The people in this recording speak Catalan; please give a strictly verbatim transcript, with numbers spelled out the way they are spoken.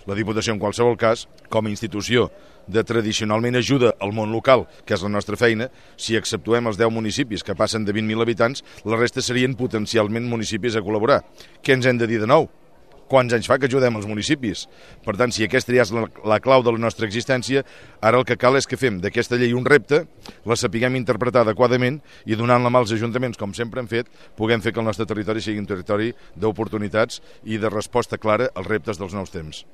La Diputació, en qualsevol cas, com a institució de tradicionalment ajuda al món local, que és la nostra feina, si exceptuem els deu municipis que passen de vint mil habitants, la resta serien potencialment municipis a col·laborar. Què ens hem de dir de nou? Quants anys fa que ajudem els municipis? Per tant, si aquesta ja és la, la clau de la nostra existència, ara el que cal és que fem d'aquesta llei un repte, la sapiguem interpretar adequadament i donant la mà als ajuntaments, com sempre hem fet, puguem fer que el nostre territori sigui un territori d'oportunitats i de resposta clara als reptes dels nous temps.